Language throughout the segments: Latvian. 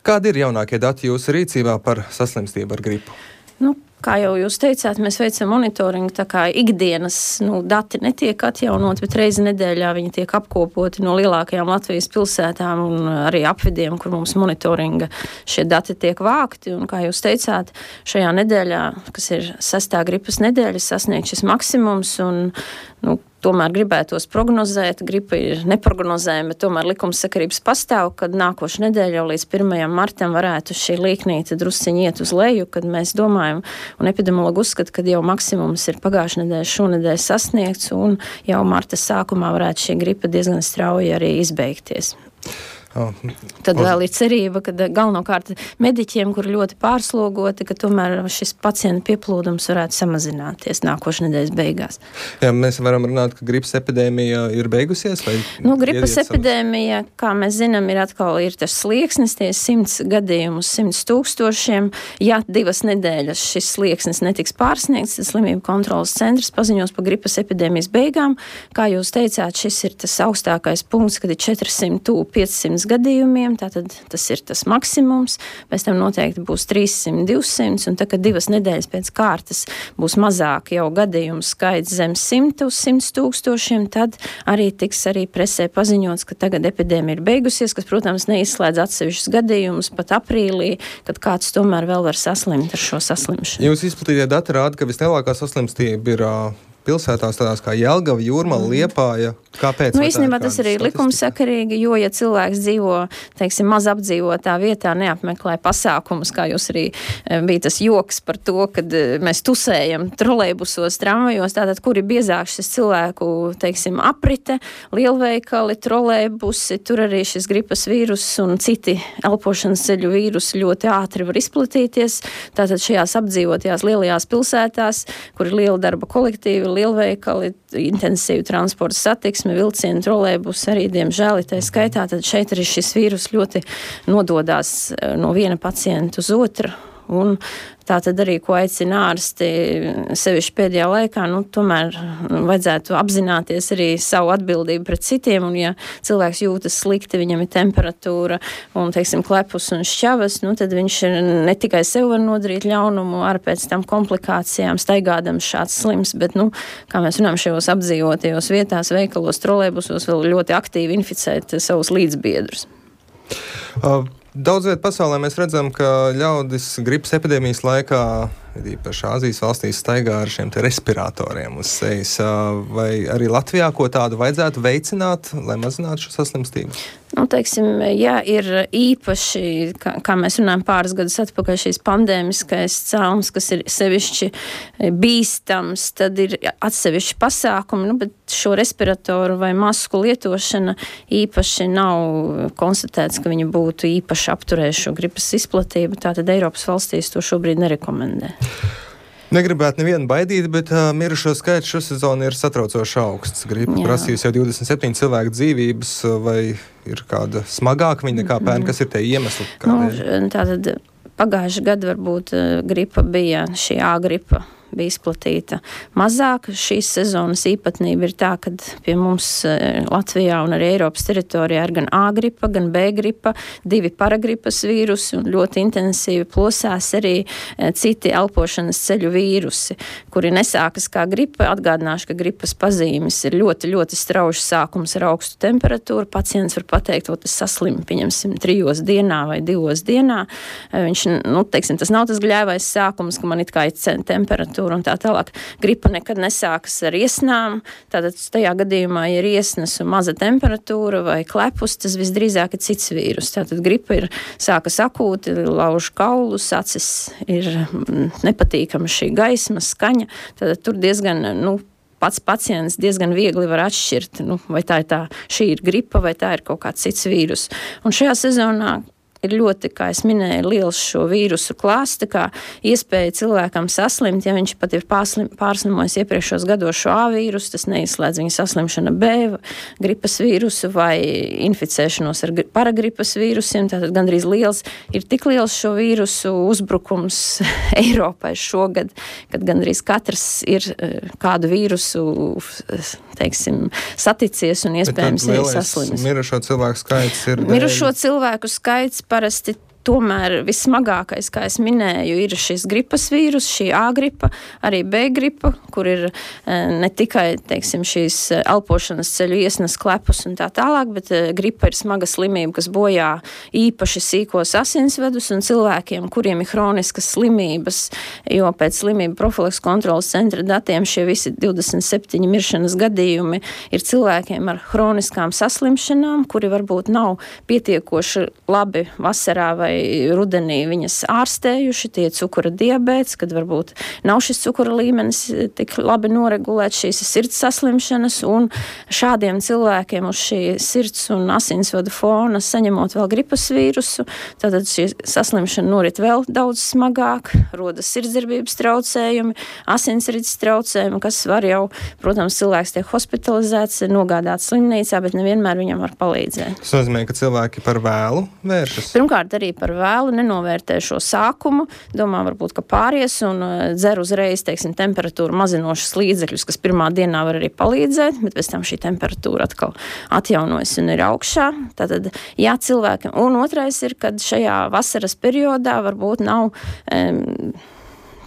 Kādi ir jaunākie dati jūsu rīcībā par saslimstību ar gripu? Kā jau jūs teicāt, mēs veicam monitoringu, tā kā ikdienas dati netiek atjaunot, bet reizi nedēļā viņi tiek apkopoti no lielākajām Latvijas pilsētām un arī apvidiem, kur mums monitoringa šie dati tiek vākti. Un, kā jūs teicāt, šajā nedēļā, kas ir 6. gripas nedēļa, sasniegt šis maksimums un tomēr gribētos prognozēt, gripa ir neprognozējama, bet tomēr likumsakarības pastāv, kad nākošu nedēļu jau līdz 1. martam varētu šī līknīte drusciņi iet uz leju, kad mēs domājam, un epidemiologi uzskata, ka jau maksimums ir pagājušā nedēļa, šonedēļ sasniegts, un jau marta sākumā varētu šī gripa diezgan strauji arī izbeigties. Tad vēl ir cerība, ka galvenokārt mediķiem, kur ļoti pārslogoti, ka tomēr šis pacienta pieplūdums varētu samazināties nākošais nedēļas beigās. Jā, mēs varam runāt, ka gripas epidēmija ir beigusies? Gripas epidēmija, kā mēs zinām, ir tas slieksnis, tie 100 gadījumu uz 100 tūkstošiem. Ja 2 nedēļas šis slieksnis netiks pārsniegts, tad slimību kontrolas centrs paziņos par gripas epidēmijas beigām. Kā jūs teicāt, šis ir tas augstākais punkts, kad ir 400–500 gadījumiem, tātad tas ir tas maksimums, pēc tam noteikti būs 300–200, un tad, kad 2 nedēļas pēc kārtas būs mazāk jau gadījumu skaits zem 100 uz 100 tūkstošiem, tad arī tiks arī presē paziņots, ka tagad epidēmija ir beigusies, kas, protams, neizslēdz atsevišķus gadījumus pat aprīlī, kad kāds tomēr vēl var saslimt ar šo saslimšanu. Jūs izplatītie dati rāda, ka vislielākā saslimstība ir pilsētās tādās kā Jelgava, Jūrmala, Liepāja. Kāpēc? Īstenībā tas arī likumsakarīgi, jo, ja cilvēks dzīvo, teiksim, maz apdzīvotā vietā, neapmeklē pasākumus, kā jūs arī bija tas joks par to, kad mēs tusējam trolejbusos, tramvajos, tātad, kur ir biezāk šis cilvēku, teiksim, aprite, lielveikali, trolejbusi, tur arī šis gripas vīrus un citi elpošanas ceļu vīrusi ļoti ātri var izplatīties. Tātad šajās apdzīvotajās lielajās pilsētās, kur ir liela darba kolektīvi, lielveikali, intensīva transporta satiksme, vilcieni, trolejbus arī, diemžēl, tā skaitā, tad šeit arī šis vīrus ļoti nododās no viena pacienta uz otru. Un tā tad arī, ko aicina ārsti, sevišķi pēdējā laikā, tomēr vajadzētu apzināties arī savu atbildību pret citiem, un ja cilvēks jūtas slikti, viņam ir temperatūra un, teiksim, klepus un šķavas, tad viņš ne tikai sev var nodarīt ļaunumu ar pēc tam komplikācijām, staigādams šāds slims, bet, kā mēs runājam, šajos apdzīvotajos vietās, veikalos, trolejbusos vēl ļoti aktīvi inficēt savus līdzbiedrus. Daudz viet pasaulē mēs redzam, ka ļaudis gripas epidēmijas laikā, īpaši Āzijas valstīs, staigā ar šiem respiratoriem uz sejas. Vai arī Latvijā ko tādu vajadzētu veicināt, lai mazinātu šo saslimstību? Teiksim, ja ir īpaši, kā mēs runājam pāris gadus atpakaļ, šīs pandēmiskais cēlums, kas ir sevišķi bīstams, tad ir atsevišķi pasākumi, bet šo respiratoru vai masku lietošana īpaši nav konstatēts, ka viņi būtu īpaši apturējuši šo gripas izplatību, tātad Eiropas valstīs to šobrīd nerekomendē. Negribētu nevienu baidīt, bet mirušo skaits šo sezonu ir satraucoši augsts. Gripa prasījusi jau 27 cilvēku dzīvības, vai ir kāda smagāka viņa nekā pērn, kas ir tie iemesli? Tātad pagājuši gadu varbūt gripa bija šī A gripa. Bija izplatīta mazāk. Šīs sezonas īpatnība ir tā, ka pie mums Latvijā un arī Eiropas teritorijā ir gan A gripa, gan B gripa, 2 paragripas vīrusi un ļoti intensīvi plosās arī citi elpošanas ceļu vīrusi, kuri nesākas kā gripa. Atgādināšu, ka gripas pazīmes ir ļoti, ļoti strauji sākums ar augstu temperatūru. Pacients var pateikt, tas saslim, pieņemsim, 3 dienā vai 2 dienā. Viņš, teiksim, tas nav tas gļēvais sākums, ka man it kā ir temperatūra un tā tālāk. Gripa nekad nesākas ar iesnām, tātad tajā gadījumā, ja ir iesnas un maza temperatūra vai klepus, tas visdrīzāk ir cits vīrus. Tātad gripa sākas akūti, lauž kaulus, acis ir nepatīkama šī gaisma, skaņa, tātad tur diezgan, pats pacients diezgan viegli var atšķirt, vai šī ir gripa, vai tā ir kaut kāds cits vīrus. Un šajā sezonā ir ļoti, kā es minēju, liels šo vīrusu klāsts, tā kā iespēja cilvēkam saslimt, ja viņš pat ir pārslimojis iepriekšos gados šo A vīrusu, tas neizslēdz viņa saslimšana B gripas vīrusu vai inficēšanos ar paragripas vīrusiem, tātad gandrīz ir tik liels šo vīrusu uzbrukums Eiropai šogad, kad gandrīz katrs ir kādu vīrusu, teiksim, saticies un iespējams ir saslimis. Mirušo cilvēku skaits ir... Mirušo cilvēku skaits parasti tomēr vissmagākais, kā es minēju, ir šis gripas vīrus, šī A gripa, arī B gripa, kur ir ne tikai, teiksim, šīs elpošanas ceļu iesnas klepus un tā tālāk, bet gripa ir smaga slimība, kas bojā īpaši sīkos asinsvedus un cilvēkiem, kuriem ir hroniskas slimības, jo pēc slimību profilaks kontrolas centra datiem šie visi 27 miršanas gadījumi ir cilvēkiem ar hroniskām saslimšanām, kuri varbūt nav pietiekoši labi vasarā vai rudenī viņas ārstējuši, tie cukura diabēts, kad varbūt nav šis cukura līmenis tik labi noregulēts, šīs sirds saslimšanas, un šādiem cilvēkiem uz šī sirds un asinsvadu fona saņemot vēl gripas vīrusu, tātad šī saslimšana norit vēl daudz smagāk, rodas sirdsdarbības traucējumi, asinsrites traucējumi, kas var jau, protams, cilvēks tiek hospitalizēts, nogādāts slimnīcā, bet nevienmēr viņam var palīdzēt. Tas nozīmē, ka cilvēki par vēlu vēršas? Pirmkārt, arī par vēlu, nenovērtē šo sākumu, domā varbūt, ka pāries un dzer uzreiz, teiksim, temperatūru mazinošas līdzekļus, kas pirmā dienā var arī palīdzēt, bet pēc tam šī temperatūra atkal atjaunojas un ir augšā. Tātad, jā, cilvēkiem. Un otrais ir, kad šajā vasaras periodā varbūt nav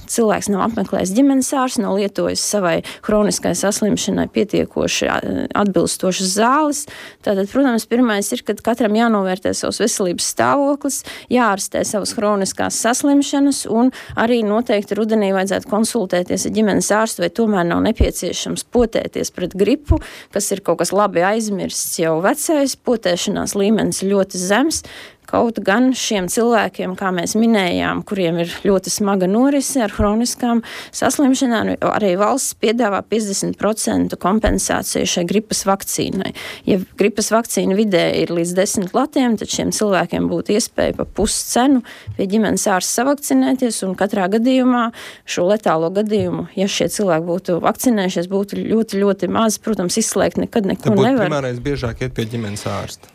cilvēks nav apmeklējis ģimenes ārstu, nav lietojis savai hroniskai saslimšanai pietiekoši atbilstošas zāles. Tātad, protams, pirmais ir, kad katram jānovērtē savs veselības stāvoklis, jāārstē savas hroniskās saslimšanas un arī noteikti rudenī vajadzētu konsultēties ar ģimenes ārstu, vai tomēr nav nepieciešams potēties pret gripu, kas ir kaut kas labi aizmirsts jau vecais, potēšanās līmenis ļoti zems. Kaut gan šiem cilvēkiem, kā mēs minējām, kuriem ir ļoti smaga norise ar hroniskām saslimšanām, arī valsts piedāvā 50% kompensāciju šai gripas vakcīnai. Ja gripas vakcīna vidē ir līdz 10 latiem, tad šiem cilvēkiem būtu iespēja pa puscenu pie ģimenes ārsta savakcinēties, un katrā gadījumā šo letālo gadījumu, ja šie cilvēki būtu vakcinējušies, būtu ļoti, ļoti maz. Protams, izslēgt nekad neko nevar. Tad būtu primārais biežāk iet pie ģimenes ārsta.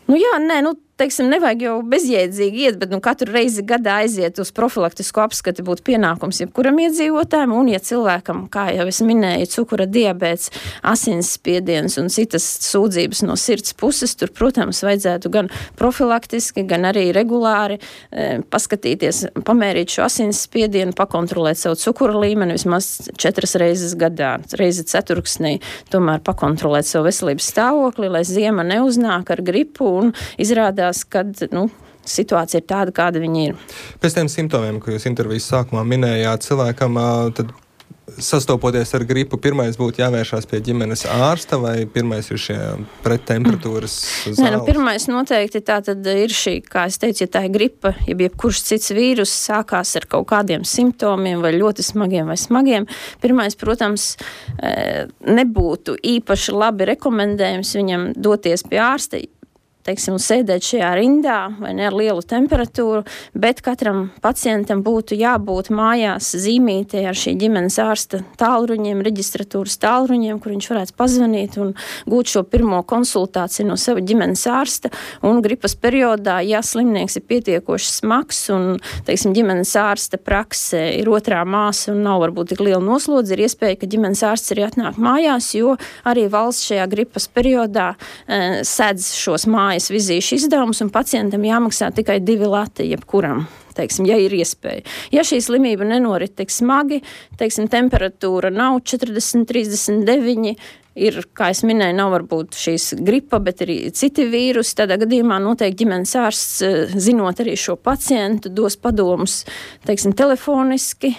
Teiksim, nevajag jau bezjēdzīgi iet, bet katru reizi gadā aiziet uz profilaktisku apskati būtu pienākums jebkuram iedzīvotājam, un ja cilvēkam, kā jau es minēju, cukura diabēts, asinsspiediens un citas sūdzības no sirds puses, tur, protams, vajadzētu gan profilaktiski, gan arī regulāri paskatīties, pamērīt šo asinsspiedienu, pakontrolēt savu cukura līmeni vismaz 4 reizes gadā, reizi ceturksnī, tomēr pakontrolēt savu veselības stāvokli, lai ziema neuznāk ar gripu un izrādās, kad situācija ir tāda, kāda viņi ir. Pēc tiem simptomiem, ko jūs intervijas sākumā minējāt, cilvēkam tad sastopoties ar gripu, pirmais būtu jāvēršās pie ģimenes ārsta, vai pirmais ir šie prettemperatūras zāles? Pirmais noteikti tā tad ir šī, kā es teicu, ja tā ir gripa, ja jebkurš cits vīrus sākās ar kaut kādiem simptomiem, vai ļoti smagiem vai smagiem, pirmais, protams, nebūtu īpaši labi rekomendējums viņam doties pie ārsta, teiksim, sēdēt šajā rindā vai ne ar lielu temperatūru, bet katram pacientam būtu jābūt mājās zīmītē ar šī ģimenes ārsta tālruņiem, reģistratūras tālruņiem, kur viņš varētu pazvanīt un gūt šo pirmo konsultāciju no sava ģimenes ārsta. Un gripas periodā, ja slimnieks ir pietiekoši smags un, teiksim, ģimenes ārsta praksē ir otrā māsa un nav varbūt tik liela noslodze, ir iespēja, ka ģimenes ārsts arī atnāk mājās, jo arī valsts šajā gripas periodā sedz šos mājas vizīšu izdevumus, un pacientam jāmaksā tikai 2 lati jebkuram, teiksim, ja ir iespēja. Ja šī slimība nenorit tik smagi, teiksim, temperatūra nav 40, 39, ir, kā es minēju, nav varbūt šīs gripa, bet arī citi vīrusi, tādā gadījumā noteikti ģimenes ārsts, zinot arī šo pacientu, dos padomus, teiksim, telefoniski,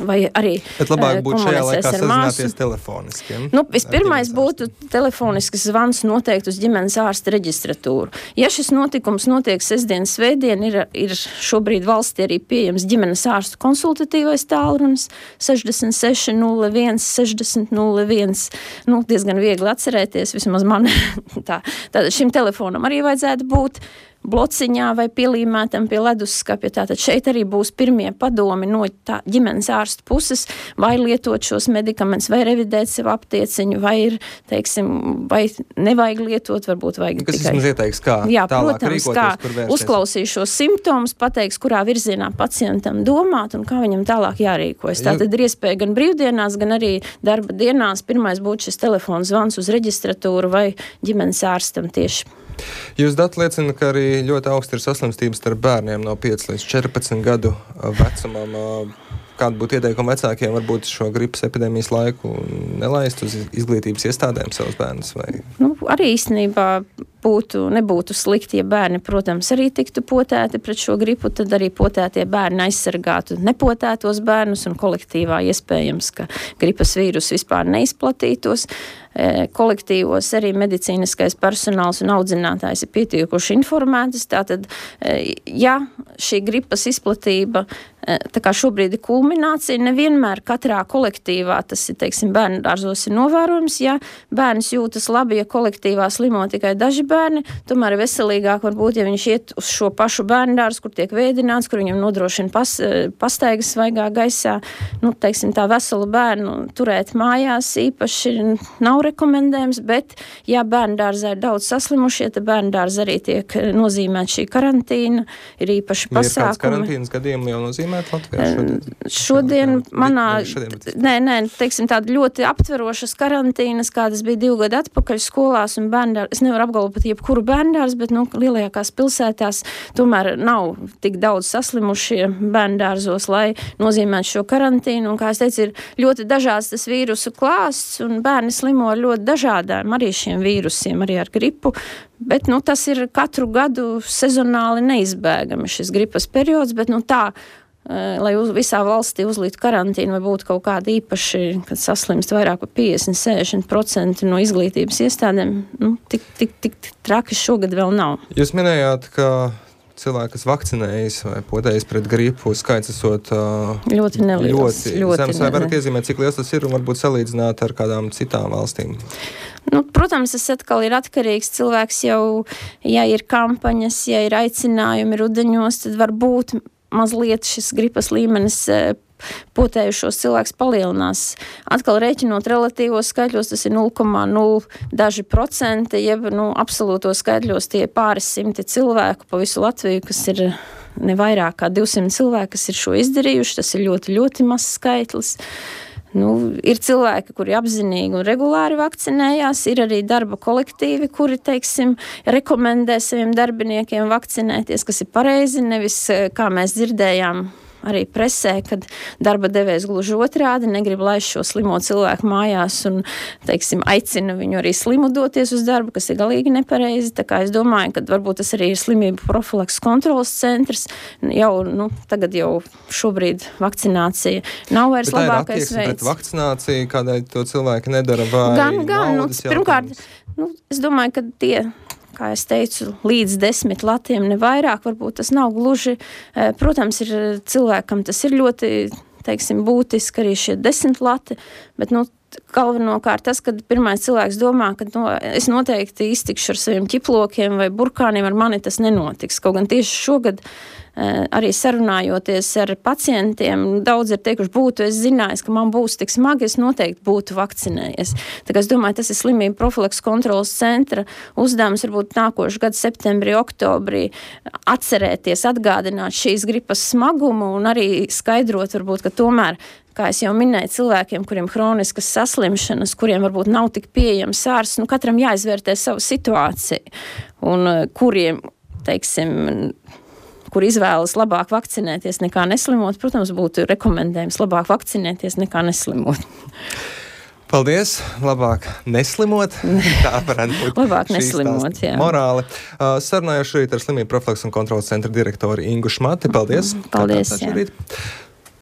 vai arī bet labāk būtu šajā laikā sazināties telefoniski. Vispirmais būtu telefonisks zvans noteikti uz ģimenes ārsta reģistratūru. Ja šis notikums notiek sestdien, svētdien, ir šobrīd valstī arī pieejams ģimenes ārstu konsultatīvais tālrunis 66 01 60 01. Diezgan viegli atcerēties, vismaz man tātad šim telefonam arī vajadzētu būt blociņā vai pielīmētam pie leduskapja. Tātad šeit arī būs pirmie padomi no ģimenes ārsta puses, vai lietot šos medikamentus, vai revidēt sev aptieciņu, vai ir, teiksim, vai nevajag lietot, varbūt vajag kas tikai... Kas ieteiks, kā tālāk rīkoties, kur vērsties? Uzklausīs šos simptomus, pateiks, kurā virzienā pacientam domāt un kā viņam tālāk jārīkojas. Tātad ir iespēja gan brīvdienās, gan arī darba dienās. Pirmais būtu šis telefons zvans uz reģistratūru vai ģimenes ārstam tieši. Jūs dati liecina, ka arī ļoti augsta ir saslimstības starp bērniem no 5 līdz 14 gadu vecumam. Kāda būtu ieteikuma vecākiem varbūt šo gripas epidēmijas laiku nelaist uz izglītības iestādēm savus bērnus? Vai? Arī īstenībā nebūtu slikti, ja bērni, protams, arī tiktu potēti pret šo gripu, tad arī potētie bērni aizsargātu nepotētos bērnus un kolektīvā iespējams, ka gripas vīrus vispār neizplatītos. Kolektīvos arī medicīniskais personāls un audzinātājs ir pietiekuši informētas. Tātad, ja šī gripas izplatība tā kā šobrīd ir kulminācija, nevienmēr katrā kolektīvā, tas ir, teiksim, bērnu dārzos ir novērojams, ja bērns jūtas labi, ja kolektīvā slimo tikai daži bērni, tomēr veselīgāk varbūt, ja viņš iet uz šo pašu bērnu dārzu, kur tiek vēdināts, kur viņam nodrošina pastaigas svaigā gaisā, teiksim, tā veselu bērnu turēt mājās īpaši nav rekomendējams, bet, ja bērnu dārzā ir daudz saslimušie, tad bērnu dārza arī tiek nozīmēt šī karantīna, ir īpaši pasākumi. Ir kāds karantīnas gadījumi jau nozīmēt Latvijā šodien? Teiksim, tāda ļoti aptverošas karantīnas, kādas bija 2 gadu atpakaļ skolās un bērnu dārza. Es nevaru apgalvot pat jebkuru bērnu dārzu, bet, lielākās pilsētās tomēr nav tik daudz saslimušie bērnu dārzos, lai nozīmētu šo karantīnu. Un, kā es teicu, ir ļoti dažāds tas vīrusu klāsts un bērni slimo ar ļoti dažādām arī šiem vīrusiem, arī ar gripu, bet, tas ir katru gadu sezonāli neizbēgami šis gripas periods, bet, lai visā valstī uzlītu karantīnu vai būtu kaut kāda īpaši, kad saslimst vairāk par 50-60% no izglītības iestādēm, tik traki šogad vēl nav. Jūs minējāt, ka cilvēki, kas vakcinējas vai potējas pret gripu, skaits esot ļoti neliels. Ļoti zems. Vai varat iezīmēt, cik liels tas ir un varbūt salīdzināt ar kādām citām valstīm? Protams, tas atkal ir atkarīgs. Cilvēks jau, ja ir kampaņas, ja ir aicinājumi rudeņos, tad varbūt mazliet šis gripas līmenis potējušos cilvēks palielinās. Atkal rēķinot relatīvos skaitļos, tas ir 0,0 daži procenti, jeb absolūtos skaitļos tie pāris simti cilvēku pa visu Latviju, kas ir ne vairāk kā 200 cilvēki, kas ir šo izdarījuši. Tas ir ļoti, ļoti mazs skaitlis. Ir cilvēki, kuri apzinīgi un regulāri vakcinējās, ir arī darba kolektīvi, kuri, teiksim, rekomendē saviem darbiniekiem vakcinēties, kas ir pareizi, nevis, kā mēs dzirdējām, arī presē, kad darba devējs gluži otrādi negrib laist šo slimo cilvēku mājās un, teiksim, aicina viņu arī slimu doties uz darbu, kas ir galīgi nepareizi. Tā kā es domāju, ka varbūt tas arī ir slimību profilakses kontrolas centrs. Tagad jau šobrīd vakcinācija nav vairs labākais veids. Bet tā ir attieksme pret vakcināciju, kādēļ to cilvēki nedara vai naudas jautājums? Pirmkārt, es domāju, ka tie, kā es teicu, līdz 10 latiem ne vairāk, varbūt tas nav gluži. Protams, ir cilvēkam tas ir ļoti, teiksim, būtiski arī šie 10 lati, bet, galvenokārt tas, kad pirmais cilvēks domā, ka es noteikti iztikšu ar saviem ķiplokiem vai burkāniem, ar mani tas nenotiks. Kaut gan tieši šogad arī sarunājoties ar pacientiem, daudz ir teikuši, es zinājis, ka man būs tik smagi, es noteikti būtu vakcinējies. Tā kā es domāju, tas ir slimību profilakses kontrolas centra uzdevums varbūt nākošu gadu septembrī, oktobrī atcerēties, atgādināt šīs gripas smagumu un arī skaidrot varbūt, ka tomēr, kā es jau minēju, cilvēkiem, kuriem hroniskas saslimšanas, kuriem varbūt nav tik pieejams ārsts, katram jāizvērtē savu situāciju un kuriem, teiksim, kur izvēlas labāk vakcinēties nekā neslimot, protams, būtu rekomendējums labāk vakcinēties nekā neslimot. Paldies! Labāk neslimot. Tā varētu būt labāk neslimot, jā. Morāli. Sarunājuši šeit ar slimību profilakses un kontrolas centra direktori Ingu Šmati. Paldies! Paldies, jā.